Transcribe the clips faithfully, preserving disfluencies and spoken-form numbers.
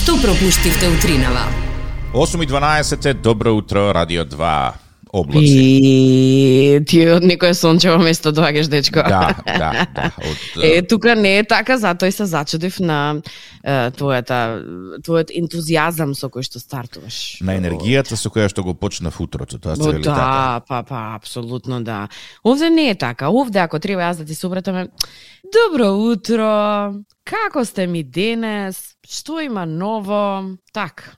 Што пропуштивте утринава? осум и дванаесет е, добро утро, Радио два, облаци. И ти од некое сончево место доаѓаш, дечко. Да, да, да. Од, Е, тука не е така, затоа и се зачудив на е, твојата, твојот ентузијазам со кој што стартуваш. на енергијата со која што го почнав утрото, тоа се вели да, така. па, па, апсолутно да. Овде не е така. Овде, ако треба јас да ти се обратам, добро утро, како сте ми денес, што има ново, так.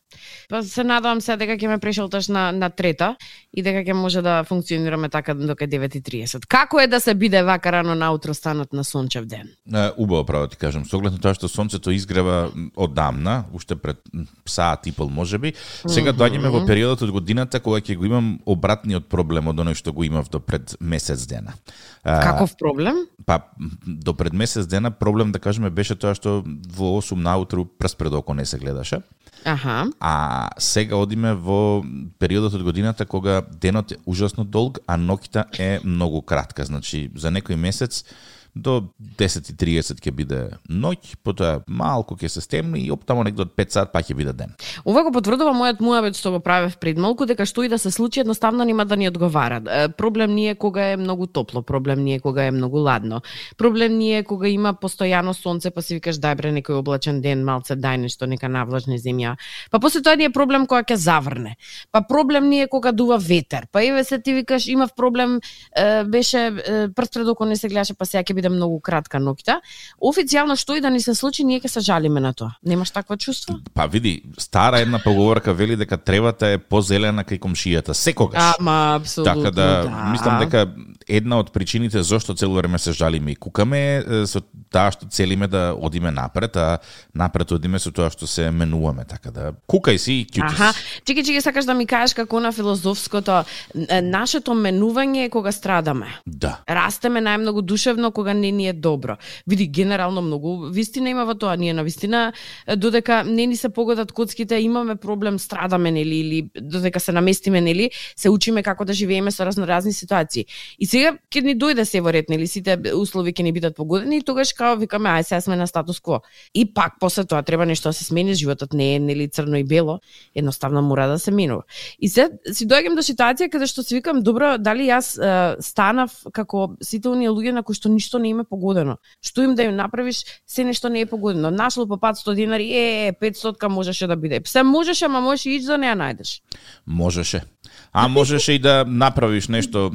Па се надевам се дека ќе ме прешелташ на, на трета и дека ќе може да функционираме така дока девет и тридесет. Како е да се биде вака рано наутро станот на сончев ден? Е, убаво, право ти кажам, со оглед на тоа што сонцето изгрева одамна, уште пред саат и пол можеби, сега доаѓаме во периодот од годината кога ќе го имам обратниот проблем од оној што го имав до пред месец дена. А, Каков проблем? Па, до пред месец дена проблем, да кажеме, беше тоа што во осум наутру прст пред око не се гледаше. Аха. А сега одиме во периодот од годината кога денот е ужасно долг, а ноќта е многу кратка. Значи, за некој месец до десет и тридесет ќе биде ноќ, потоа малку ќе се стемни и оптамо некаде од пет сат па ќе биде ден. Ова го потврдува мојот муабет што го правев пред малку, дека што и да се случи едноставно нема да ни одговара. Е, Проблем не е кога е многу топло, проблем не е кога е многу ладно. Проблем не е кога има постојано сонце, па си викаш дај бре некој облачен ден, малце дај нешто, нека навлажне земја. Па после тоа не е проблем кога ќе заврне. Па проблем не е кога дува ветер. Па еве се ти викаш имав проблем, е, беше е, прст пред око не се гледаше, па сега ќе биде многу кратка ноќта. Официјално што и да ни се случи, ние ќе се жалиме на тоа. Немаш такво чувство? Па види, стара една поговорка вели дека тревата е позелена кај комшијата секогаш. Ама апсолутно. Така да, да. мислам дека една од причините зошто цело време се жалиме и кукаме е со таа што целиме да одиме напред, а напред одиме со тоа што се менуваме, така да кукај си и кјути Аха, си. чеки, чеки, сакаш да ми кажеш како на филозофското, е, нашето менување е кога страдаме. Да. Растеме најмногу душевно кога не ни е добро. Види, генерално многу вистина има во тоа. Ние на вистина, додека не ни се погодат коцките, имаме проблем, страдаме, нели, или додека се наместиме, нели, се учиме како да живееме со разноразни ситуации. И сега ќе ни дојде се во ред, нели, сите услови ќе ни бидат погодени и тогаш као викаме, ај сега сме на статус кво. И пак после тоа треба нешто да се смени, животот не е нели црно и бело, едноставно мора да се менува. И се си доаѓам до ситуација каде што си викам, добро, дали јас е, станав како сите оние луѓе на кои што ништо не им е погодено. Што им да им направиш, се нешто не е погодено. Нашло по петстотини динари, е, петстотка можеше да биде. Се можеше, ама можеш и ич да не ја најдеш. Можеше. А можеше и да направиш нешто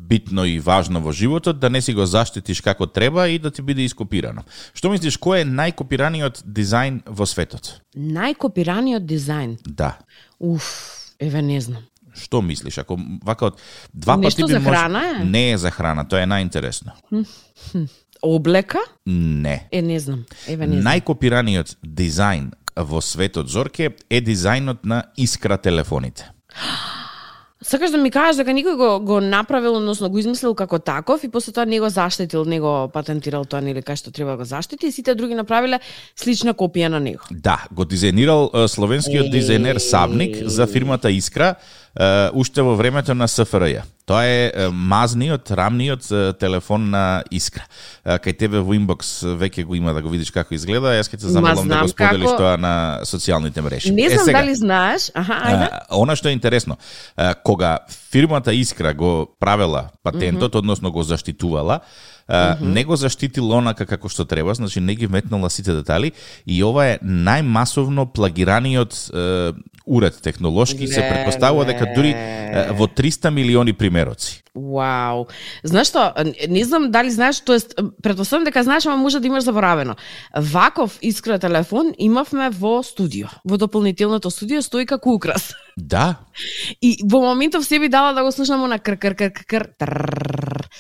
битно и важно во животот, да не си го заштитиш како треба и да ти биде ископирано. Што мислиш, кој е најкопираниот дизајн во светот? Најкопираниот дизајн. Да. Уф, еве не знам. Што мислиш? Ако вака од два Нешто пати би за мож... храна е? Не е за храна, тоа е најинтересно. Облека? Не. Е, не знам. Еве не знам. Најкопираниот дизајн во светот, Зорке, е дизајнот на Искра телефоните. Сакаш да ми кажеш дека никој го, го направил, односно го измислил како таков и после тоа не го заштитил, не го патентирал тоа, нели кај што треба да го заштити и сите други направиле слична копија на него. Да, го дизајнирал е, словенскиот дизајнер Савник за фирмата Искра е, уште во времето на С Ф Р Ј. Тоа е е, мазниот, рамниот е, телефон на Искра. Е, кај тебе во инбокс веќе го има да го видиш како изгледа, јас ќе те замолам да го споделиш како... тоа на социјалните мрежи. Не знам е, сега, дали знаеш, аха, ајде. е, она што е интересно, е, кога фирмата Искра го правела патентот, mm -hmm. односно го заштитувала, Uh, mm -hmm. не го заштитил онака како што треба, значи не ги вметнала сите детали и ова е најмасовно плагираниот uh, уред технолошки, не, се претпоставува дека дури uh, во триста милиони примероци. Вау. Знаеш што, не знам дали знаеш, тоест претпоставувам дека знаеш, ама може да имаш заборавено. Ваков Искра телефон имавме во студио. Во дополнителното студио стои како украс. Да. И во моментов себе дала да го слушам на кр кр кр кр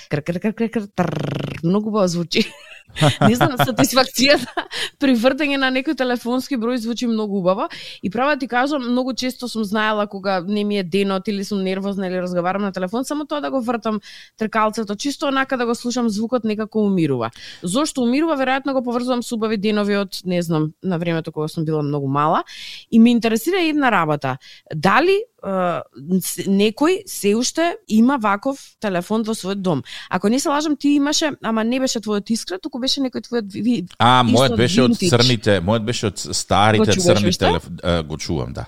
кр кр кр кр кр кр многу убаво звучи. Не знам, сатисфакцијата при вртење на некој телефонски број звучи многу убаво и права да ти кажам, многу често сум знаела кога не ми е денот или сум нервозна или разговарам на телефон, само тоа да го вртам тркалцето, чисто онака да го слушам звукот некако умирува. Зошто умирува? Веројатно го поврзувам со убави денови од, не знам, на времето кога сум била многу мала и ме интересира една работа. Дали uh, некој се уште има ваков телефон во својот дом. Ако не се лажам, ти имаше, ама не беше твојот Искра, туку беше некој твојот ви. А, мојот беше од црните, мојот беше од старите црни телефон. Го чувам, да.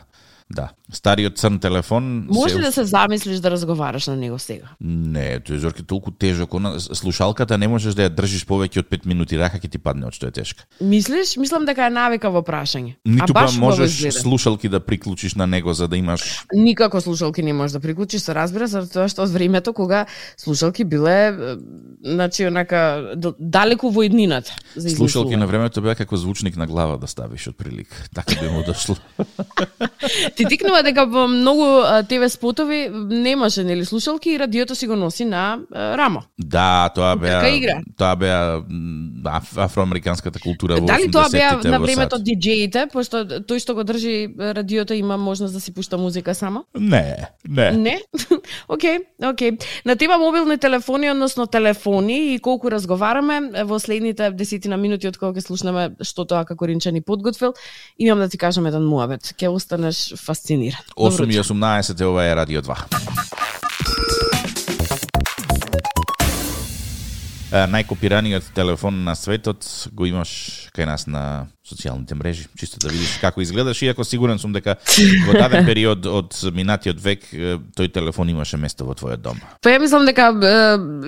Да, стариот црн телефон. Може ли да се замислиш да разговараш на него сега? Не, тој Зорке толку тежок, она слушалката не можеш да ја држиш повеќе од пет минути, рака ќе ти падне од што е тешка. Мислиш? Мислам дека е навикаво прашање. Ниту па можеш слушалки да приклучиш на него за да имаш. Никако слушалки не можеш да приклучиш, се разбира, затоа што од времето кога слушалки биле, значи онака далеку во иднината. Слушалки на времето беа како звучник на глава да ставиш од прилик. Така би му дошло. Ти тикнува дека во многу ТВ спотови немаше нели слушалки и радиото си го носи на рамо. Да, тоа беа тоа беа афроамериканската култура во осумдесеттите. Дали тоа беа на времето сад. диџеите, пошто тој што го држи радиото има можност да си пушта музика само? Не, не. Не? Океј, океј. На тема мобилни телефони, односно телефони и колку разговараме во следните десетина минути од кога ќе слушнеме што тоа како Ринче ни подготвил, имам да ти кажам еден муабет. Ќе останеш фасциниран. осум и осумнаесет ова е Радио два. Најкопираниот телефон на светот го имаш кај нас на социјалните мрежи, чисто да видиш како изгледаш, иако сигурен сум дека во даден период од минатиот век тој телефон имаше место во твојот дом. Па ја мислам дека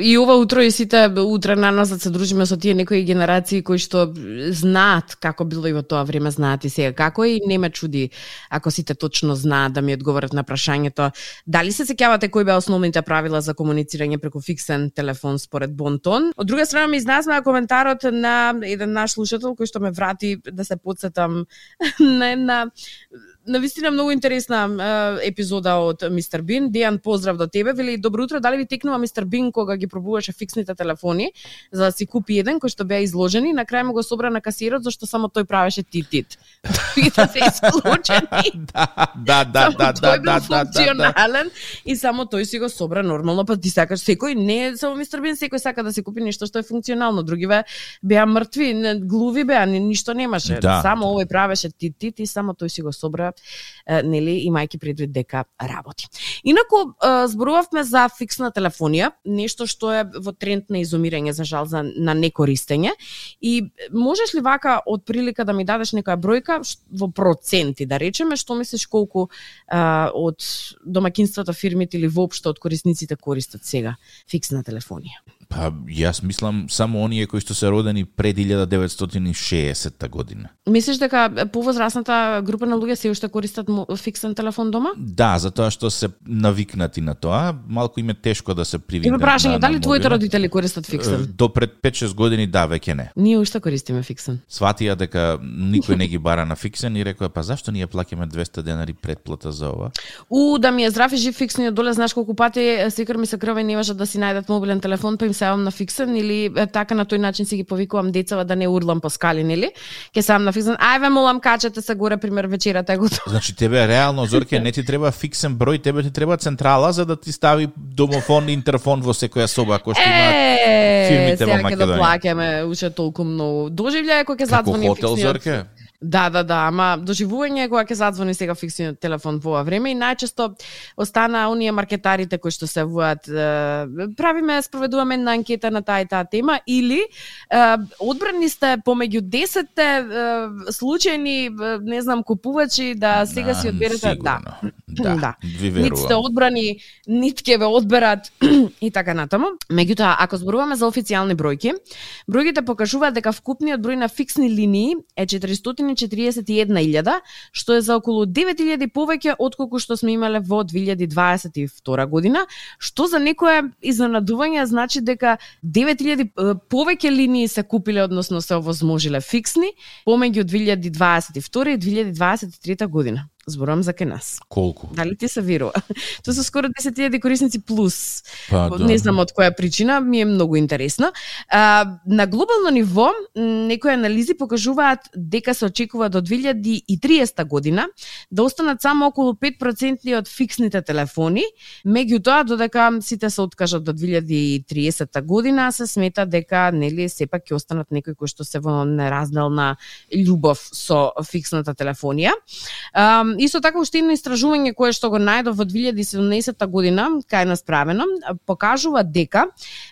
и ова утро и сите утре на нас да се дружиме со тие некои генерации кои што знаат како било и во тоа време, знаат и сега како, и не ме чуди ако сите точно знаат да ми одговорат на прашањето дали се сеќавате кои беа основните правила за комуницирање преку фиксен телефон според Бонтон. Од друга страна ми изнесна коментарот на еден наш слушател кој што ме врати да се подсетам на една навистина многу интересна е, епизода од мистер Бин. Дејан, поздрав до тебе. Вели, добро утро, дали ви текнува мистер Бин кога ги пробуваше фиксните телефони за да си купи еден кој што беа изложени, на крај му го собра на касирот зашто само тој правеше тит-тит. И да се исклучени. Да, да, да, да, да, тој бил функционален и само тој си го собра нормално, па ти сакаш секој, не само мистер Бин, секој сака да си купи нешто што е функционално. Други беа мртви, глуви беа, ништо немаше. Да. Само овој правеше тит-тит и само тој си го собра, нели, имајќи предвид дека работи. Инаку зборувавме за фиксна телефонија, нешто што е во тренд на изумирање, за жал, за на некористење. И можеш ли вака од прилика да ми дадеш некоја бројка во проценти, да речеме, што мислиш колку а, од домаќинствата, фирмите или воопшто од корисниците користат сега фиксна телефонија? Па, јас мислам само оние кои што се родени пред илјада деветстотини и шеесетта година. Мислиш дека повозрасната група на луѓе се уште користат фиксен телефон дома? Да, затоа што се навикнати на тоа, малку им е тешко да се привикнат. Има прашање, на, дали на твоите родители користат фиксен? До пред пет-шест години да, веќе не. Ние уште користиме фиксен. Сватија дека никој не ги бара на фиксен и рекоа, па зашто ние плаќаме двесте денари предплата за ова? У, да ми е здрав и жив фиксниот доле, знаеш колку пати секој ми се крва и не можат да си најдат мобилен телефон, па им сеам на фиксен, или така на тој начин си ги повикувам децава да не урлам по скали, нели? Ке сам на фиксен. Ајве молам, качете се горе, пример вечерата е готова. Значи тебе реално, Зорке, не ти треба фиксен број, тебе ти треба централа за да ти стави домофон и интерфон во секоја соба, ако што има фирмите во Македонија. Сега ќе да плаќаме уште толку многу. Доживљај кога ќе задзвони фиксниот. Како хотел, Зорке? Да, да, да, ама доживување кога ќе задзвони сега фиксниот телефон во ова време и најчесто остана оние маркетарите кои што се воат, правиме, спроведуваме една анкета на таа и таа тема, или е, одбрани сте помеѓу десетте е, случајни, не знам, купувачи да сега си одберете, да. Да, да. Ви верувам. Нит сте одбрани, нит ќе ве одберат и така натаму. Меѓутоа, ако зборуваме за официјални бројки, бројките покажуваат дека вкупниот број на фиксни линии е четиристотини и четириесет и една илјада, што е за околу девет илјади повеќе отколку што сме имале во две илјади дваесет и втора година, што за некое изненадување значи дека девет илјади повеќе линии се купиле, односно се овозможиле фиксни помеѓу две илјади дваесет и втора и две илјади дваесет и трета година. Зборувам за кај нас. Колку? Дали ти се верува? Тоа се скоро десет илјади корисници плюс. Па, да. Не знам од која причина, ми е многу интересно. А, на глобално ниво, некои анализи покажуваат дека се очекува до две илјади и триесета година да останат само околу пет проценти од фиксните телефони, меѓутоа додека сите се откажат до две илјади и триесета година, се смета дека нели сепак ќе останат некои кои што се во неразделна љубов со фиксната телефонија. А, исто така уште едно истражување кое што го најдов во две илјади и седумнаесетта година, кај нас правено, покажува дека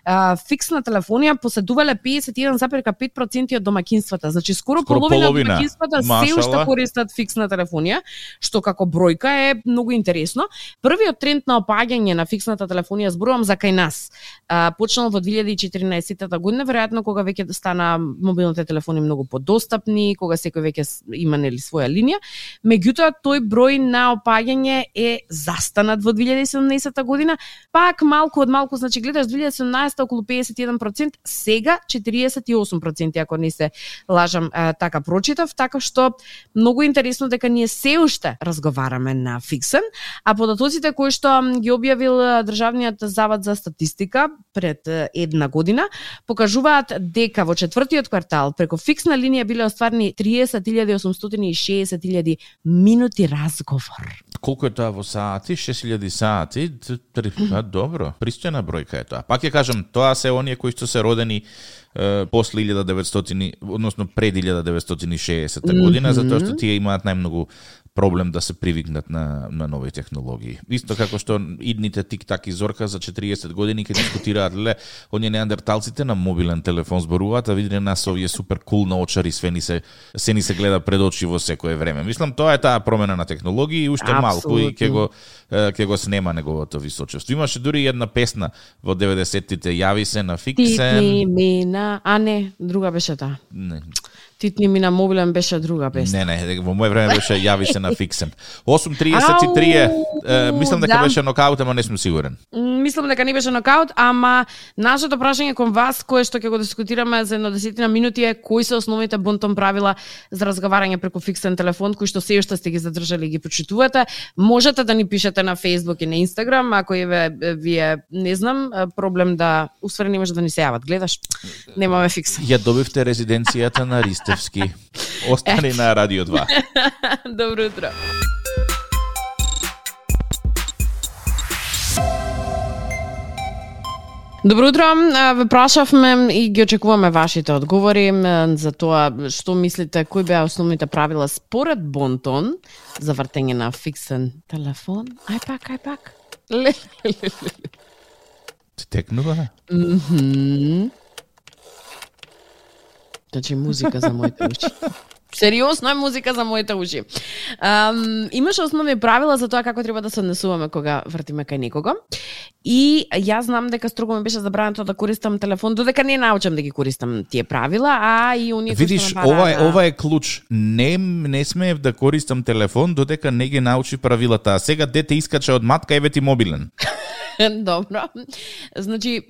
а, фиксна телефонија поседувале педесет и еден зарез и пет проценти од домаќинствата. Значи скоро, скоро половина, половина од домаќинствата се уште користат фиксна телефонија, што како бројка е многу интересно. Првиот тренд на опаѓање на фиксната телефонија, зборувам за кај нас, а, почнал во две илјади и четиринаесетта година, веројатно кога веќе стана мобилните телефони многу подостапни, кога секој веќе има нели своја линија. Меѓутоа тој број на опаѓање е застанат во две илјади и седумнаесетта година, пак малку од малку, значи гледаш две илјади и седумнаесетта околу педесет и еден проценти, сега четириесет и осум проценти, ако не се лажам, а, така прочитав, така што многу интересно дека ние се уште разговараме на фиксен, а податоците кои што ги објавил Државниот завод за статистика пред една година покажуваат дека во четвртиот квартал преку фиксна линија биле остварени триесет илјади осумстотини и шеесет илјади минути разговор. Колку е тоа во сати? шест илјади сати? А, добро, пристојна бројка е тоа. Пак ќе кажам, тоа се оние кои што се родени е, после илјада и деветстотини, односно пред илјада и деветстотини и шеесетта година, mm-hmm. затоа што тие имаат најмногу проблем да се привикнат на, на нови технологии. Исто како што идните тик-так и Зорка за четириесет години ке дискутираат, леле, оние неандерталците на мобилен телефон зборуваат, а видите нас овие супер кул наочари, све ни се, се ни се гледа пред очи во секое време. Мислам, тоа е таа промена на технологии и уште малку и ќе го, ќе го снема неговото височество. Имаше дури една песна во деветдесеттите, Јави се на фиксен. Титни мина, а не, друга беше таа. Не. Титни ми на мобилен беше друга песна. Не, не, во моје време беше Јави се на фиксен. осум тридесет и три е, е, мислам дека да. беше нокаут, ама не сум сигурен. Мислам дека не беше нокаут, ама нашето прашање кон вас, кое што ќе го дискутираме за едно десетина минути е кои се основните бонтон правила за разговарање преку фиксен телефон, кои што се уште сте ги задржали и ги почитувате. Можете да ни пишете на Facebook и на Instagram, ако е вие, не знам, проблем да усвари не може да ни се јават. Гледаш? Немаме фиксен. Ја добивте резиденцијата на Ристевски. Остани на Радио два. Добро утро. Добро утро, ве прашавме и ги очекуваме вашите одговори за тоа што мислите, кои беа основните правила според бонтон за вртење на фиксен телефон. Ај пак, ај пак. Ти текнува? Мхм. Значи музика за моите уши. Сериозно е музика за моите уши. Um, имаше основни правила за тоа како треба да се однесуваме кога вртиме кај некого. И јас знам дека строго ми беше забрането да користам телефон, додека не научам да ги користам тие правила, а и оние кои Видиш, што ова е ова е клуч. Не не смеев да користам телефон додека не ги научи правилата. А сега дете искача од матка, еве ти мобилен. Добро. Значи,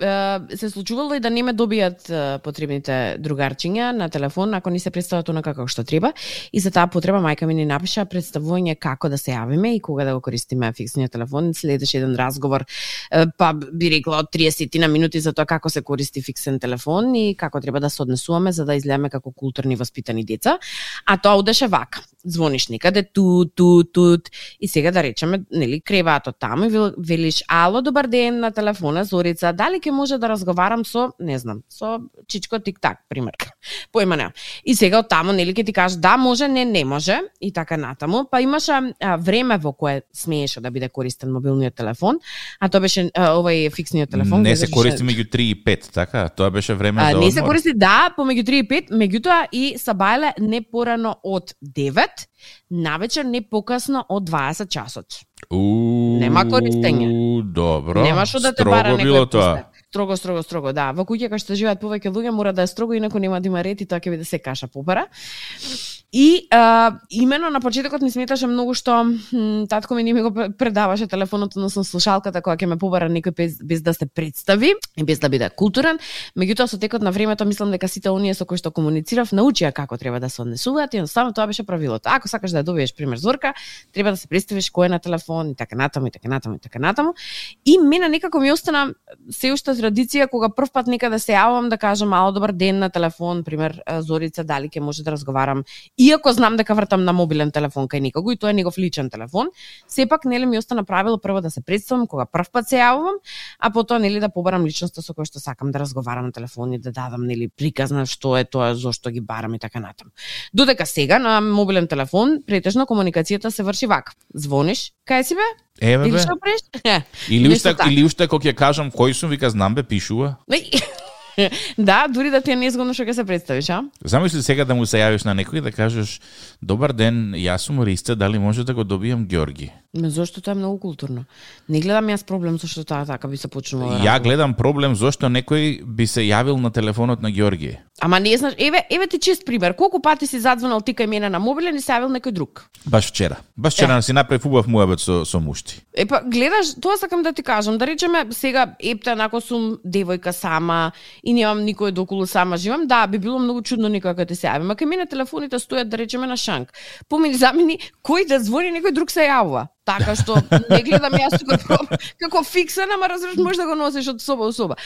се случувало и да не ме добијат потребните другарчиња на телефон ако не се представат онака како што треба. И за таа потреба мајка ми ни напиша представување како да се јавиме и кога да го користиме фиксниот телефон. Следеше еден разговор, па би рекла од триесет на минути за тоа како се користи фиксен телефон и како треба да се однесуваме за да изгледаме како културни воспитани деца. А тоа одеше вака. Звониш некаде ту ту тут и сега да речеме, нели, креваато таму и велиш ало, добар ден, на телефона Зорица, дали ќе може да разговарам со, не знам, со Чичко тик-так, пример. Појма не. И сега од таму, нели, ќе ти кажеш да може, не, не може и така натаму. Па имаше а, време во кое смееше да биде користен мобилниот телефон, а тоа беше а, овај фиксниот телефон. Не се користи меѓу три и пет, така? Тоа беше време а, за одмор. Не се користи, да, помеѓу три и пет, меѓутоа и сабајле не порано од девет, навечер не покасно од дваесет часот. У, Нема користење. Добро. Нема што да те строго бара било некој тоа. пустер. Строго, строго, строго, да. Во куќа кај што живеат повеќе луѓе мора да е строго, инаку нема да има ред и тоа ќе биде се каша попара. И а, имено на почетокот ми сметаше многу што м, татко ми не ми го предаваше телефонот, односно слушалката која ќе ме побара некој без, без да се представи и без да биде културен. Меѓутоа со текот на времето мислам дека сите оние со кои што комуницирав научија како треба да се однесуваат и едноставно тоа беше правилото. Ако сакаш да ја добиеш пример Зорка, треба да се представиш кој е на телефон и така натаму и така натаму и така натаму. И мене некако ми остана се уште традиција кога прв пат некаде се јавам да кажам ало добар ден на телефон, пример Зорица, дали ќе може да разговарам, иако знам дека вртам на мобилен телефон кај некого и тоа е негов личен телефон, сепак нели ми остана правило прво да се представам кога прв пат се јавувам, а потоа нели да побарам личноста со која што сакам да разговарам на телефон и да дадам нели приказ на што е тоа, зошто ги барам и така натаму. Додека сега на мобилен телефон претежно комуникацијата се врши вака. Звониш, кај си бе? Еве бе. Или уште или уште кога ќе кажам кој сум, вика знам бе, пишува. Да, дури да ти е незгодно што ќе се представиш, а? Замисли сега да му се јавиш на некој и да кажеш добар ден, јас сум Риста, дали може да го добијам Ѓорги? Ме зошто тоа е многу културно. Не гледам јас проблем зашто тоа така би се почнува. Ја гледам проблем зашто некој би се јавил на телефонот на Ѓорги. Ама не знаеш, еве, еве ти чист пример. Колку пати си задзвонал ти кај мене на мобилен и се јавил некој друг? Баш вчера. Баш вчера е. си направив убав муабет со со мушти. Епа, гледаш, тоа сакам да ти кажам, да речеме сега епта нако сум девојка сама и немам никој доколу, сама живам, да, би било многу чудно некој кога ти се јави. Ма кај мене телефоните стојат да речеме на шанк. Помини замени кој да звони некој друг се јавува. Така што не гледам јас тука како фиксен, ама разбираш можеш да го носиш од соба до соба.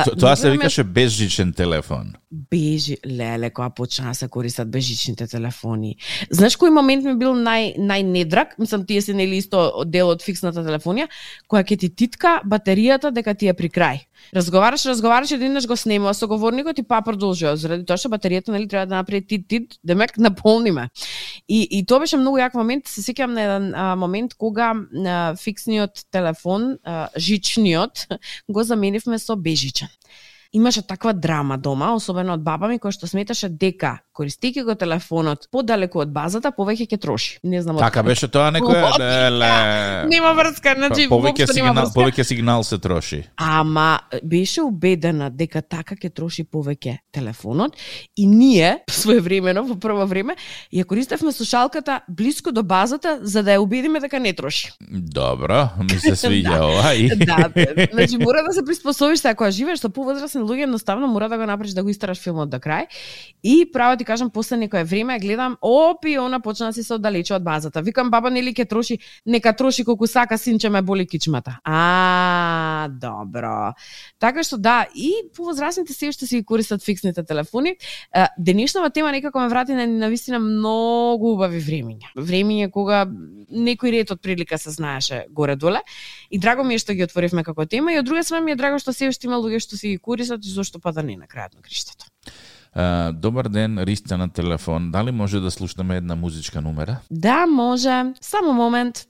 То, тоа се викаше безжичен телефон. Бежи, леле, кога почна да се користат безжичните телефони. Знаеш кој момент ми бил нај најнедрак? Мислам тие се нели исто дел од фиксната телефонија, која ќе ти титка батеријата дека ти е при крај. Разговараш, разговараш и еднаш го снемува со говорникот и па продолжува заради тоа што батеријата нели треба да направи тит тит, демек наполниме. И и тоа беше многу јак момент, се сеќавам на еден а, момент кога а, фиксниот телефон, а, жичниот, го заменивме со бежичен. Имаше таква драма дома, особено од баба ми, која што сметаше дека користејќи го телефонот подалеку од базата, повеќе ќе троши. Не знам. Така беше тоа некоја леле. Нема врска, значи повеќе сигнал, повеќе сигнал се троши. Ама беше убедена дека така ќе троши повеќе телефонот и ние своевремено во прво време ја користевме слушалката блиску до базата за да ја убедиме дека не троши. Добро, ми се свиѓа ова и да, значи мора да се приспособиш сега кога живееш со повозрасни луѓе, едноставно мора да го направиш да го истераш филмот до крај. И право ти кажам, после некое време гледам, опи, она почна да се оддалечува од базата. Викам, баба, нели ќе троши, нека троши колку сака, синче ме боли кичмата. А, добро. Така што да, и повозрасните се уште си користат фиксните телефони. Денешната тема некако ме врати на навистина многу убави времиња. Времиња кога некој ред од прилика се знаеше горе-доле. И драго ми е што ги отворивме како тема и од друга страна ми е драго што се уште има луѓе што си ги користат и зошто па да не на крајот на криштето. Uh, добар ден, Риста на телефон. Дали може да слушнеме една музичка номера? Да, може. Само момент.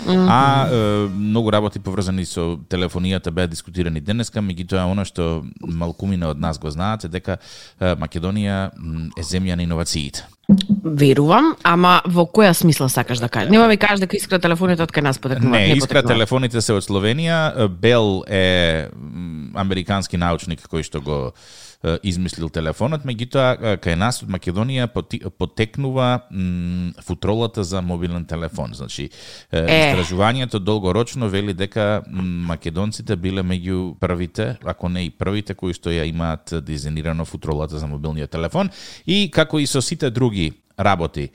Mm-hmm. А е, многу работи поврзани со телефонијата беа дискутирани денеска, меѓутоа она што малкумина од нас го знаат е дека е, Македонија е земја на иновациите. Верувам, ама во која смисла сакаш да кажеш? Нема ми кажеш дека искра телефоните од кај нас потекнуваат. Не, не искра телефоните се од Словенија. Бел е американски научник кој што го измислил телефонот, меѓутоа кај нас од Македонија потекнува м, футролата за мобилен телефон. Значи, е. истражувањето долгорочно вели дека македонците биле меѓу првите, ако не и првите кои што ја имаат дизајнирано футролата за мобилниот телефон и како и со сите други работи.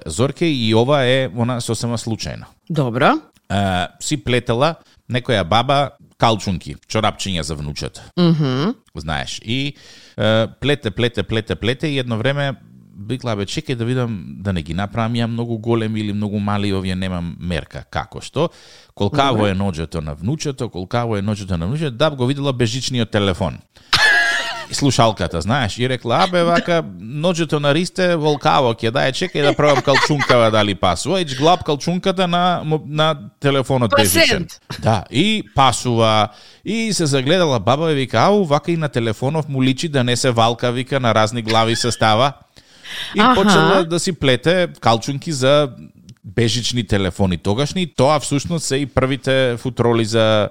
Зорке, и ова е она сосема случајно. Добро. Е, си плетела некоја баба калчунки, чорапчиња за внучето. Mm-hmm. Знаеш. И е, плете, плете, плете, плете и едно време бикла, бе, чекај да видам да не ги направам ја многу големи или многу мали, овие немам мерка. Како што? Колкаво mm-hmm. е ноѓето на внучето, колкаво е ноѓето на внучето, да го видела бежичниот телефон. Слушалката, знаеш, и рекла, абе, вака, ноѓето на Ристе, волкаво ќе дај, чекај да пробам калчункава дали пасува, и глаб калчунката на, на телефонот бежичен. Да, и пасува, и се загледала баба и вика, ау, вака и на телефонов му личи да не се валка, вика, на разни глави се става. И Аха. почела да си плете калчунки за бежични телефони тогашни, тоа всушност се и првите футроли за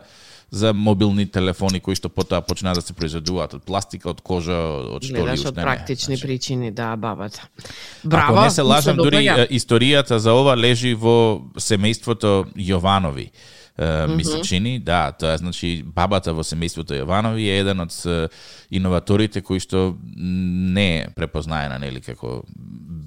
за мобилни телефони кои што потоа почнаа да се произведуваат од пластика, од кожа, од што ли уште не. Од практични значи, причини, да, бабата. Браво. Ако не се лажам, дури историјата за ова лежи во семејството Јованови. Uh, ми се чини, да, тоа е, значи, бабата во семејството Јованови е еден од uh, иноваторите кои што не е препознаена, нели, како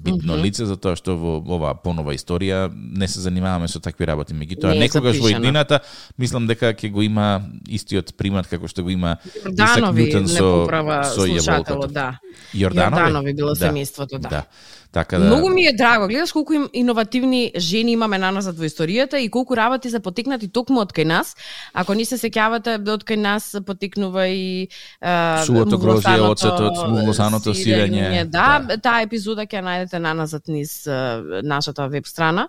битно mm -hmm. лице, затоа што во оваа понова историја не се занимаваме со такви работи. Меѓутоа, некогаш во иднината, мислам дека ќе го има истиот примат како што го има Исак Њутон со, со јаволката. Да. Јорданови? Јорданови било да. семејството, да. да. Така да... Многу ми е драго, гледаш колку им иновативни жени имаме наназад во историјата и колку работи се потекнати токму од кај нас. Ако не се сеќавате, од кај нас потекнува и а, сувото грозје, оцетот, муглосаното сирење. Да, да, таа епизода ќе најдете наназад низ а, нашата веб страна,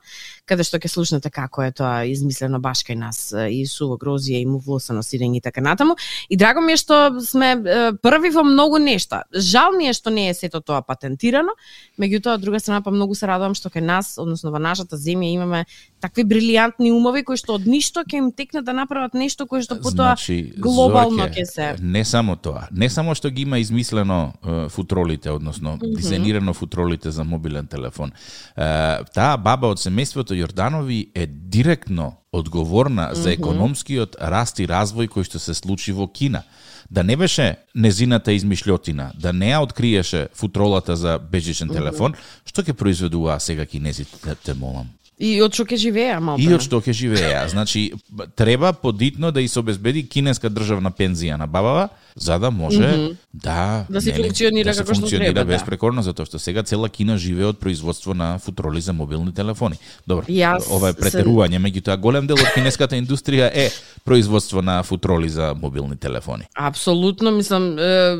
каде што ќе слушнете како е тоа измислено баш кај нас, и суво грозје и муглосано сирење и така натаму. И драго ми е што сме а, први во многу нешта. Жал ми е што не е сето тоа патентирано, меѓутоа од друга страна па многу се радувам што кај нас, односно во нашата земја имаме такви брилијантни умови кои што од ништо ќе им текне да направат нешто кое што потоа значи, глобално ќе се. Не само тоа, не само што ги има измислено uh, футролите, односно mm -hmm. дизајнирано футролите за мобилен телефон. Uh, таа баба од семејството Јорданови е директно одговорна mm -hmm. за економскиот раст и развој кој што се случи во Кина. Да не беше незината измишлјотина, да не ја откриеше футролата за бежичен телефон, што ќе произведуваа сега кинезите, те, те молам? И од што ќе живееа, малку. И од што ќе живееа. Значи, треба подитно да и се обезбеди кинеска државна пензија на бабава, за да може mm -hmm. да да се функционира да се како што функционира треба, безпрекорно, затоа што сега цела Кина живее од производство на футроли за мобилни телефони. Добро, Јас ова е претерување, меѓутоа голем дел од кинеската индустрија е производство на футроли за мобилни телефони. Апсолутно, мислам, е,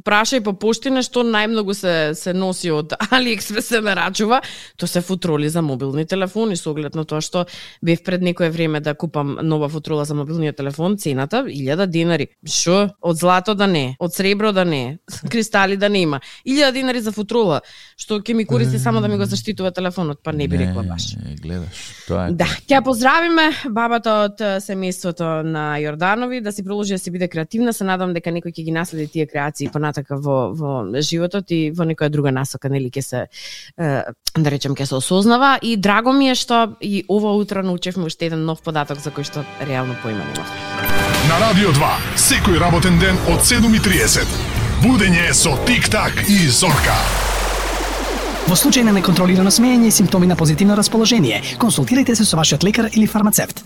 прашај по поштина што најмногу се се носи од AliExpress се нарачува, тоа се футроли за мобилни телефони, со оглед на тоа што бев пред некое време да купам нова футрола за мобилниот телефон, цената илјада денари. Шо? Од злато да не, од сребро да не, кристали да нема. илјада денари за футрола, што ќе ми користи само да ми го заштитува телефонот, па не би рекла баш. Не, гледаш, тоа е. Да, ќе поздравиме бабата од семејството на Јорданови, да си продолжи да си биде креативна, се надам дека некој ќе ги наследи тие креации понатака во во животот и во некоја друга насока, нели ќе се да речем ќе се осознава, и драго ми е што и ова утро научевме уште еден нов податок за кој што реално поима нема. На Радио два, секој работен ден од седум и триесет. Будење со Тик-так и Зорка. Во случај на неконтролирано смеење и симптоми на позитивно расположение, консултирайте се со вашиот лекар или фармацевт.